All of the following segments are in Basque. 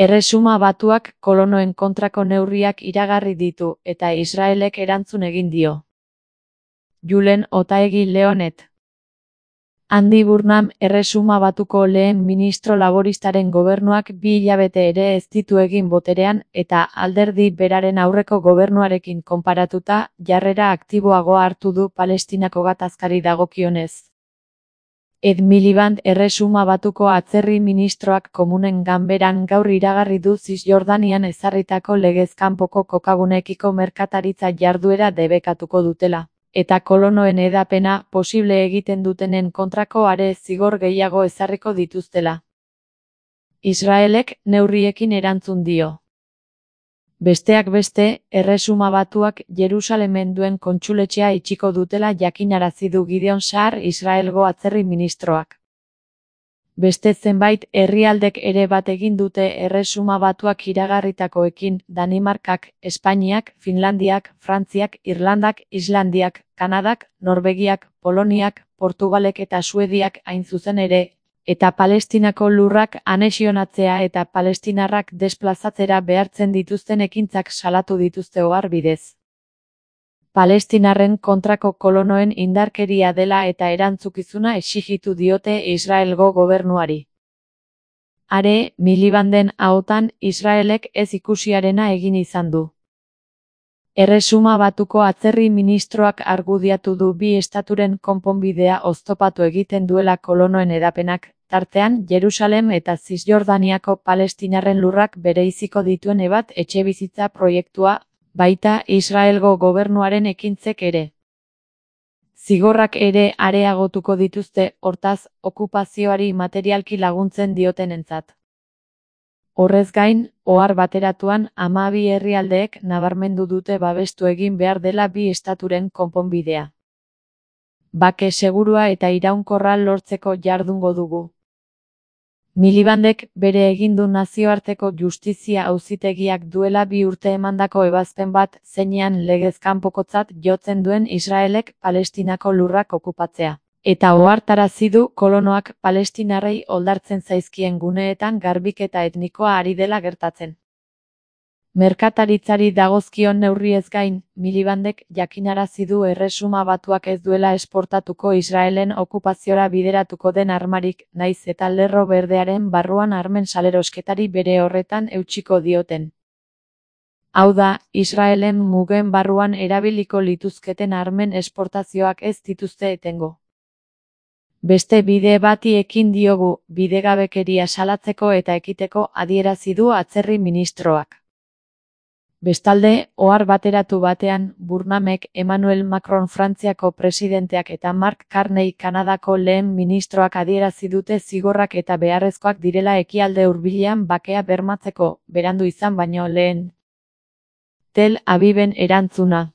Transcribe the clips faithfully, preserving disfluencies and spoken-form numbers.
Erresuma Batuak kolonoen kontrako neurriak iragarri ditu eta Israelek erantzun egin dio. Julen Otaegi Leonet. Andy Burnham, Erresuma Batuko lehen ministro laboristaren gobernuak bi hilabete ere ez ditu egin boterean eta alderdi beraren aurreko gobernuarekin konparatuta jarrera aktiboagoa hartu du Palestinako gatazkari dagokionez. Ed Miliband, Erresuma Batuko atzerri ministroak komunen ganberan gaur iragarri du Zisjordanian ezarritako legez kanpoko kokaguneekiko merkataritza jarduera debekatuko dutela, eta kolonoen hedapena posible egiten dutenen kontrako are zigor gehiago ezarriko dituztela. Israelek neurriekin erantzun dio. Besteak beste, Erresuma Batuak Jerusalemen duen kontsuletxea itxiko dutela jakinarazi du Gideon Saar Israelgo atzerri ministroak. Beste zenbait herrialdek ere bat egin dute Erresuma Batuak iragarritakoekin, Danimarkak, Espainiak, Finlandiak, Frantziak, Irlandak, Islandiak, Kanadak, Norvegiak, Poloniak, Portugalek eta Suediak hain zuzen ere, eta Palestinako lurrak anexionatzea eta palestinarrak desplazatzera behartzen dituzten ekintzak salatu dituzte ohar bidez. Palestinarren kontrako kolonoen indarkeria dela eta erantzukizuna exijitu diote Israelgo gobernuari. Are, Milibanden ahotan Israelek ez ikusiarena egin izan du. Erresuma Batuko atzerri ministroak argudiatu du bi estaturen konponbidea oztopatu egiten duela kolonoen hedapenak, tartean Jerusalem eta Zisjordaniako palestinarren lurrak bereiziko dituen ebat etxebizitza proiektua, baita Israelgo gobernuaren ekintzek ere. Zigorrak ere areagotuko dituzte, hortaz, okupazioari materialki laguntzen diotenentzat. Horrez gain, ohar bateratuan hamabi herrialdeek nabarmendu dute babestu egin behar dela bi estaturen konponbidea. Bake segurua eta iraunkorra lortzeko jardungo dugu. Milibandek bere egin du nazioarteko justizia auzitegiak duela bi urte emandako ebazpen bat zeinean legez kanpokotzat jotzen duen Israelek Palestinako lurrak okupatzea. Eta ohartarazi du kolonoak palestinarrei oldartzen zaizkien guneetan garbiketa etnikoa ari dela gertatzen. Merkataritzari dagozkion neurriez gain, Milibandek jakinarazi du Erresuma Batuak ez duela esportatuko Israelen okupaziora bideratuko den armarik, naiz eta lerro berdearen barruan armen salerosketari bere horretan eutsiko dioten. Hau da, Israelen mugen barruan erabiliko lituzketen armen esportazioak ez dituzte etengo. Beste bide bati ekin diogu, bidegabekeria salatzeko eta ekiteko adierazi du atzerri ministroak. Bestalde, ohar bateratu batean, Burnhamek Emmanuel Macron Frantziako presidenteak eta Mark Carney Kanadako lehen ministroak adierazi dute zigorrak eta beharrezkoak direla ekialde hurbilean bakea bermatzeko, berandu izan baino lehen. Tel Aviven erantzuna.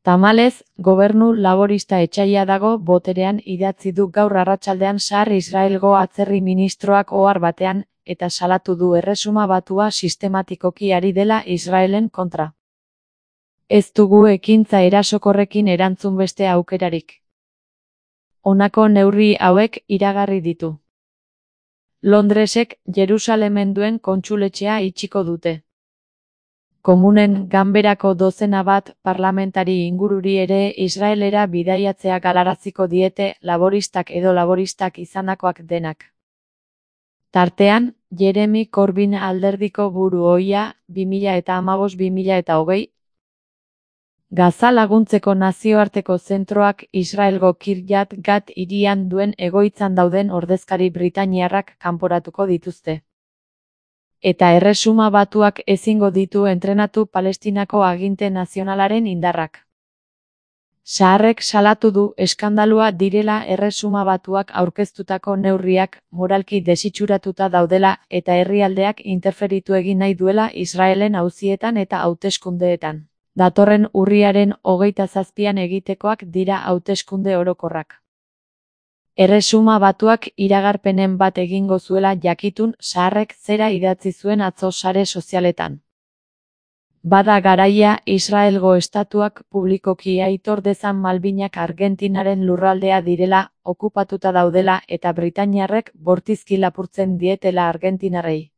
Tamalez, gobernu laborista etsaia dago boterean idatzi du gaur arratsaldean Saar Israelgo atzerri ministroak ohar batean, eta salatu du Erresuma Batua sistematikoki ari dela Israelen kontra. Ez dugu ekintza erasokorrekin erantzun beste aukerarik. Honako neurri hauek iragarri ditu. Londresek Jerusalemen duen kontsuletxea itxiko dute. Komunen ganberako dozena bat parlamentari ingururi ere Israelera bidaiatzea galaraziko diete laboristak edo laboristak izandakoak denak. Tartean, Jeremy Corbyn alderdiko buru ohia, bi mila hamabost bi mila hogei. Gaza laguntzeko nazioarteko zentroak Israelgo Kiryat Gat hirian duen egoitzan dauden ordezkari britainiarrak kanporatuko dituzte. Eta Erresuma Batuak ezingo ditu entrenatu Palestinako aginte nazionalaren indarrak. Saarrek salatu du eskandalua direla Erresuma Batuak aurkeztutako neurriak moralki desitxuratuta daudela eta herrialdeak interferitu egin nahi duela Israelen auzietan eta hauteskundeetan. Datorren urriaren hogeita zazpian egitekoak dira hauteskunde orokorrak. Erresuma Batuak iragarpenen bat egingo zuela jakitun Saarrek zera idatzi zuen atzo sare sozialetan. Bada garaia Israelgo estatuak publikoki aitor dezan Malbinak Argentinaren lurraldea direla, okupatuta daudela eta britainiarrek bortizki lapurtzen dietela argentinarrei.